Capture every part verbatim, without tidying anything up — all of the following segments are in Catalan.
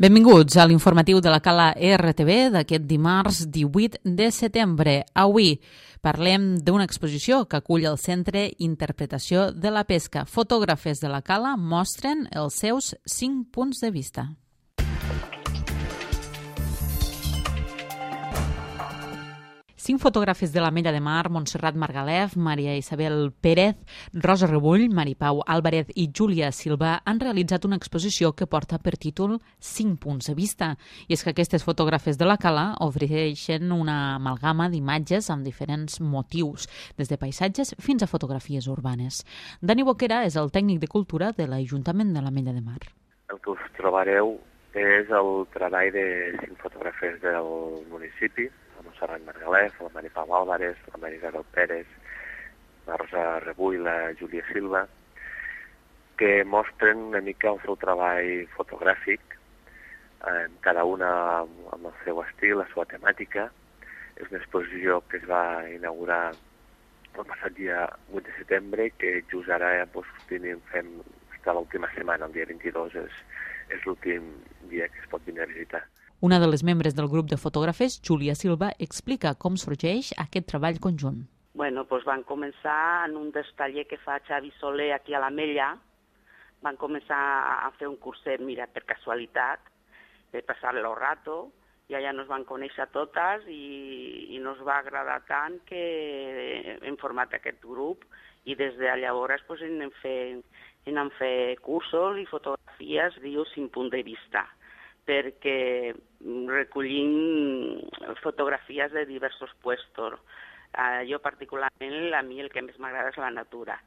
Benvinguts a l'informatiu de la Cala R T B d'aquest dimarts divuit de setembre. Avui parlem d'una exposició que acull el Centre Interpretació de la Pesca. Fotògrafes de la Cala mostren els seus cinc punts de vista. Cinc fotògrafes de l'Ametlla de Mar, Montserrat Margalef, Maria Isabel Pérez, Rosa Rebull, Maripau Álvarez i Júlia Silva han realitzat una exposició que porta per títol Cinc punts de vista. I és que aquestes fotògrafes de la Cala ofereixen una amalgama d'imatges amb diferents motius, des de paisatges fins a fotografies urbanes. Dani Boquera és el tècnic de cultura de l'Ajuntament de l'Ametlla de Mar. El que us trobareu és el treball de cinc fotògrafes del municipi, la Montserrat Margalef, la Maripau Álvarez, la Maria Isabel Pérez, la Rosa Rebull i la Júlia Silva, que mostren una mica el seu treball fotogràfic, eh, cada una amb el seu estil, la seva temàtica. És una exposició que es va inaugurar el passat dia vuit de setembre, que just ara doncs, tenim, fem està l'última setmana, el dia vint-i-dos, és, és l'últim dia que es pot venir a visitar. Una de les membres del grup de fotògrafes, Júlia Silva, explica com sorgeix aquest treball conjunt. Bueno, doncs van començar en un dels tallers que fa Xavi Soler aquí a l'Ametlla. Van començar a fer un curset, mira, per casualitat, de passar-lo el rato, i allà nos van conèixer totes i, i nos va agradar tant que hem format aquest grup i des de llavors pues, anem fent, anem fent cursos i fotografies, diu, cinc punts de vista, perquè recollim fotografies de diversos puestos. Uh, jo particularment, a mi el que més m'agrada és la natura.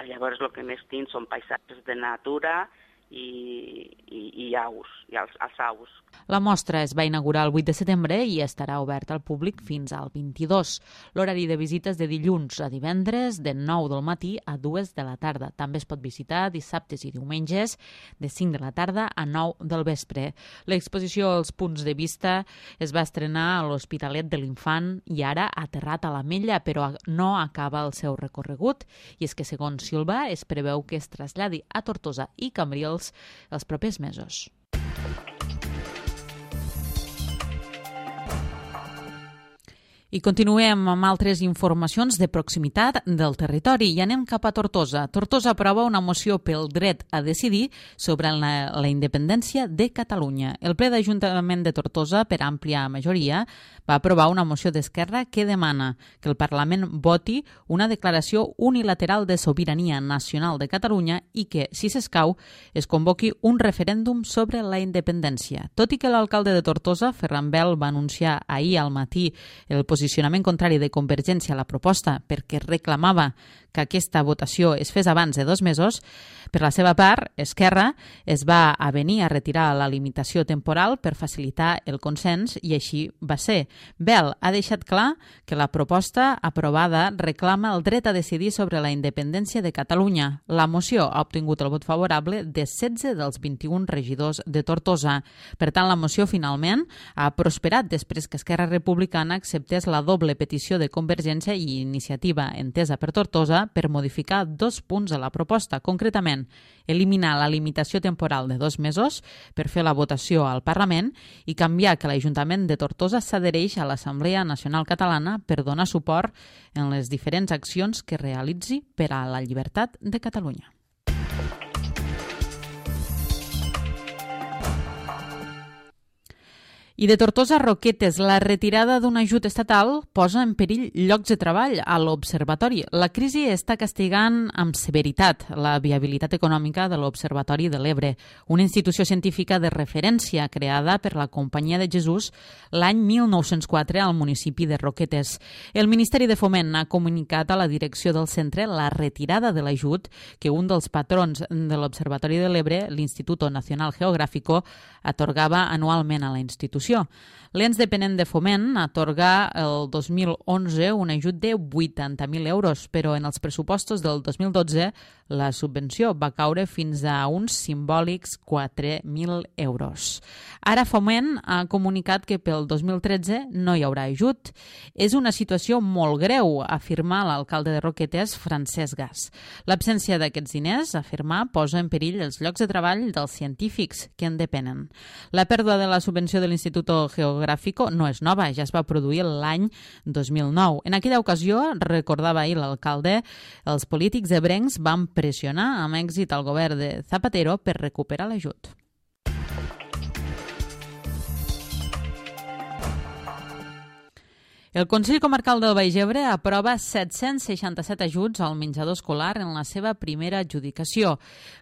Llavors el que més tinc són paisatges de natura i, i, i aus, i els, els aus. La mostra es va inaugurar el vuit de setembre i estarà oberta al públic fins al vint-i-dos. L'horari de visites de dilluns a divendres de nou del matí a dues de la tarda. També es pot visitar dissabtes i diumenges de cinc de la tarda a nou del vespre. L'exposició als punts de vista es va estrenar a l'Hospitalet de l'Infant i ara ha aterrat a l'Ametlla, però no acaba el seu recorregut. I és que, segons Silva, es preveu que es traslladi a Tortosa i Cambrils els propers mesos. I continuem amb altres informacions de proximitat del territori i anem cap a Tortosa. Tortosa aprova una moció pel dret a decidir sobre la, la independència de Catalunya. El ple d'Ajuntament de Tortosa, per àmplia majoria, va aprovar una moció d'Esquerra que demana que el Parlament voti una declaració unilateral de sobirania nacional de Catalunya i que, si s'escau, es convoqui un referèndum sobre la independència. Tot i que l'alcalde de Tortosa, Ferran Bel, va anunciar ahir al matí el posicionament contrari de Convergència a la proposta perquè reclamava que aquesta votació es fes abans de dos mesos, per la seva part, Esquerra es va avenir a retirar la limitació temporal per facilitar el consens i així va ser. Bel ha deixat clar que la proposta aprovada reclama el dret a decidir sobre la independència de Catalunya. La moció ha obtingut el vot favorable de setze dels vint-i-un regidors de Tortosa. Per tant, la moció finalment ha prosperat després que Esquerra Republicana acceptés la doble petició de Convergència i Iniciativa Entesa per Tortosa per modificar dos punts de la proposta, concretament eliminar la limitació temporal de dos mesos per fer la votació al Parlament i canviar que l'Ajuntament de Tortosa s'adhereix a l'Assemblea Nacional Catalana per donar suport en les diferents accions que realitzi per a la llibertat de Catalunya. I de Tortosa a Roquetes, la retirada d'un ajut estatal posa en perill llocs de treball a l'Observatori. La crisi està castigant amb severitat la viabilitat econòmica de l'Observatori de l'Ebre, una institució científica de referència creada per la Companyia de Jesús l'any mil nou-cents quatre al municipi de Roquetes. El Ministeri de Foment ha comunicat a la direcció del centre la retirada de l'ajut que un dels patrons de l'Observatori de l'Ebre, l'Instituto Nacional Geográfico, atorgava anualment a la institució. L'ens dependent de Foment atorga el dos mil onze un ajut de vuitanta mil euros, però en els pressupostos del dos mil dotze La subvenció va caure fins a uns simbòlics quatre mil euros. Ara Foment ha comunicat que pel dos mil tretze no hi haurà ajut. És una situació molt greu, afirma l'alcalde de Roquetes, Francesc Gas. L'absència d'aquests diners, afirma, posa en perill els llocs de treball dels científics que en depenen. La pèrdua de la subvenció de l'Institut Geográfico no és nova, ja es va produir l'any dos mil nou. En aquella ocasió, recordava ahir l'alcalde, els polítics ebrencs van pressionar amb èxit al govern de Zapatero per recuperar l'ajut. El Consell Comarcal del Baix Ebre aprova set-cents seixanta-set ajuts al menjador escolar en la seva primera adjudicació.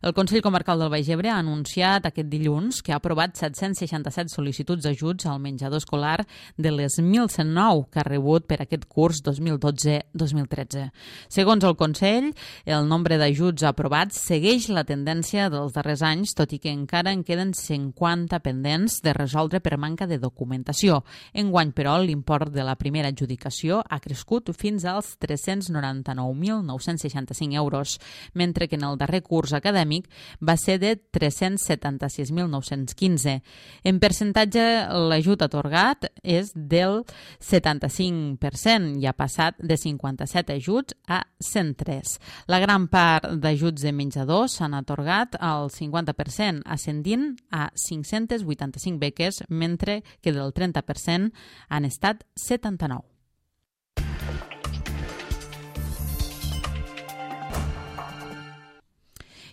El Consell Comarcal del Baix Ebre ha anunciat aquest dilluns que ha aprovat set-cents seixanta-set sol·licituds d'ajuts al menjador escolar de les mil cent nou que ha rebut per aquest curs dos mil dotze dos mil tretze. Segons el Consell, el nombre d'ajuts aprovats segueix la tendència dels darrers anys, tot i que encara en queden cinquanta pendents de resoldre per manca de documentació. Enguany, però, l'import de la primera adjudicació ha crescut fins als tres-cents noranta-nou mil nou-cents seixanta-cinc euros, mentre que en el darrer curs acadèmic va ser de tres-cents setanta-sis mil nou-cents quinze. En percentatge, l'ajut atorgat és del setanta-cinc per cent i ha passat de cinquanta-set ajuts a cent tres. La gran part d'ajuts de menjador s'han atorgat al cinquanta per cent, ascendint a cinc-cents vuitanta-cinc beques, mentre que del trenta per cent han estat setanta-nou.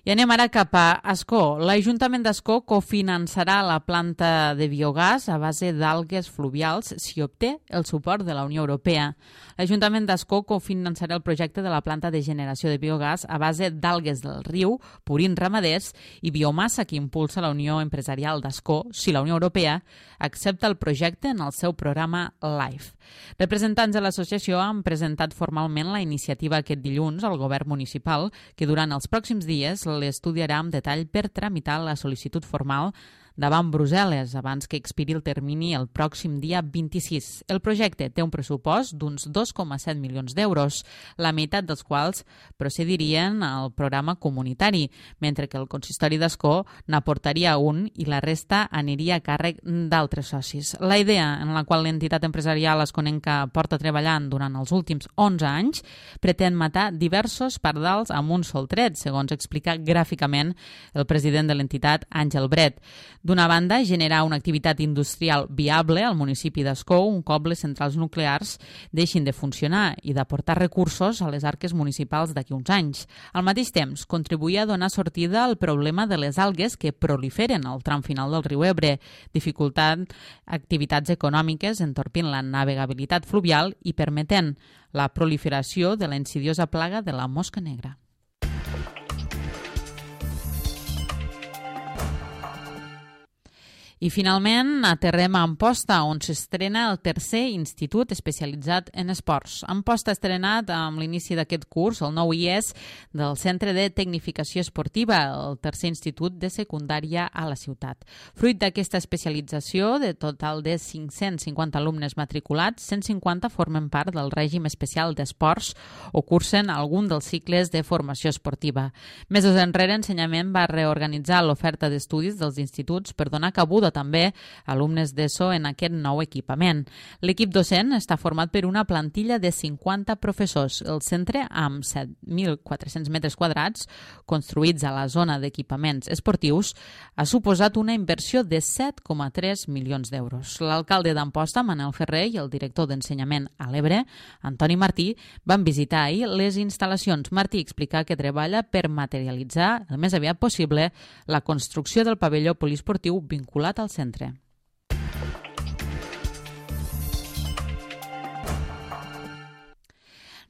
I anem ara cap a Ascó. L'Ajuntament d'Ascó cofinançarà la planta de biogàs a base d'algues fluvials si obté el suport de la Unió Europea. L'Ajuntament d'Ascó cofinançarà el projecte de la planta de generació de biogàs a base d'algues del riu, purins ramaders i biomassa que impulsa la Unió Empresarial d'Ascó si la Unió Europea accepta el projecte en el seu programa LIFE. Representants de l'associació han presentat formalment la iniciativa aquest dilluns al govern municipal, que durant els pròxims dies l'estudiarà amb detall per tramitar la sol·licitud formal davant Brussel·les, abans que expiri el termini el pròxim dia vint-i-sis. El projecte té un pressupost d'uns dos coma set milions d'euros, la meitat dels quals procedirien al programa comunitari, mentre que el consistori d'Ascó n'aportaria un i la resta aniria a càrrec d'altres socis. La idea, en la qual l'entitat empresarial asconenca porta treballant durant els últims onze anys, pretén matar diversos pardals amb un sol tret, segons explica gràficament el president de l'entitat, Àngel Bret. D'una banda, generar una activitat industrial viable al municipi d'Ascó un cop les centrals nuclears deixin de funcionar i d'aportar recursos a les arques municipals d'aquí uns anys. Al mateix temps, contribuir a donar sortida al problema de les algues que proliferen al tram final del riu Ebre, dificultant activitats econòmiques, entorpint la navegabilitat fluvial i permetent la proliferació de la insidiosa plaga de la mosca negra. I finalment aterrem a Amposta, on s'estrena el tercer institut especialitzat en esports. Amposta ha estrenat amb l'inici d'aquest curs el nou I E S del Centre de Tecnificació Esportiva, el tercer institut de secundària a la ciutat. Fruit d'aquesta especialització, de total de cinc-cents cinquanta alumnes matriculats, cent cinquanta formen part del règim especial d'esports o cursen algun dels cicles de formació esportiva. Mesos enrere, Ensenyament va reorganitzar l'oferta d'estudis dels instituts per donar cabuda també alumnes d'ESO en aquest nou equipament. L'equip docent està format per una plantilla de cinquanta professors. El centre, amb set mil quatre-cents metres quadrats, construïts a la zona d'equipaments esportius, ha suposat una inversió de set coma tres milions d'euros. L'alcalde d'Amposta, Manel Ferrer, i el director d'Ensenyament a l'Ebre, Antoni Martí, van visitar ahir les instal·lacions. Martí explica que treballa per materialitzar el més aviat possible la construcció del pavelló poliesportiu vinculat al centre.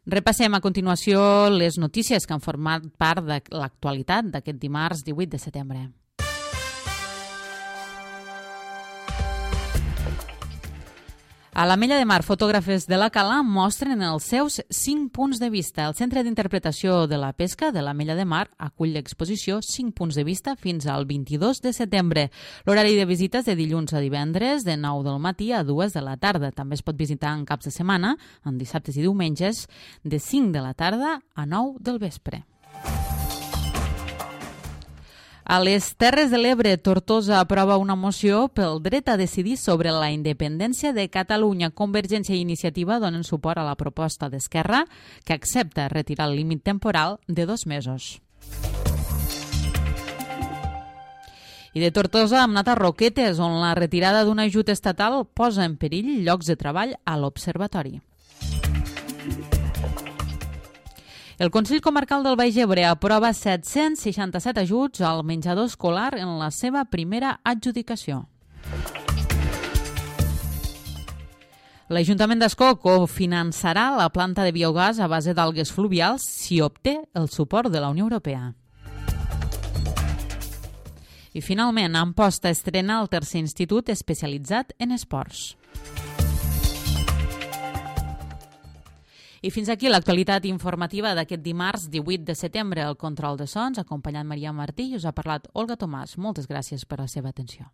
Repassem a continuació les notícies que han format part de l'actualitat d'aquest dimarts divuit de setembre. A l'Ametlla de Mar, fotògrafes de la Cala mostren els seus cinc punts de vista. El Centre d'Interpretació de la Pesca de l'Ametlla de Mar acull l'exposició cinc punts de vista fins al vint-i-dos de setembre. L'horari de visites de dilluns a divendres de nou del matí a dues de la tarda. També es pot visitar en caps de setmana, en dissabtes i diumenges, de cinc de la tarda a nou del vespre. A les Terres de l'Ebre, Tortosa aprova una moció pel dret a decidir sobre la independència de Catalunya. Convergència i Iniciativa donen suport a la proposta d'Esquerra, que accepta retirar el límit temporal de dos mesos. I de Tortosa hem anat a Roquetes, on la retirada d'un ajut estatal posa en perill llocs de treball a l'Observatori. El Consell Comarcal del Baix Ebre aprova set-cents seixanta-set ajuts al menjador escolar en la seva primera adjudicació. L'Ajuntament d'Ascó cofinançarà la planta de biogàs a base d'algues fluvials si obté el suport de la Unió Europea. I finalment, Amposta estrena el tercer institut especialitzat en esports. I fins aquí l'actualitat informativa d'aquest dimarts divuit de setembre. El control de sons, acompanyant Maria Martí, i us ha parlat Olga Tomàs. Moltes gràcies per la seva atenció.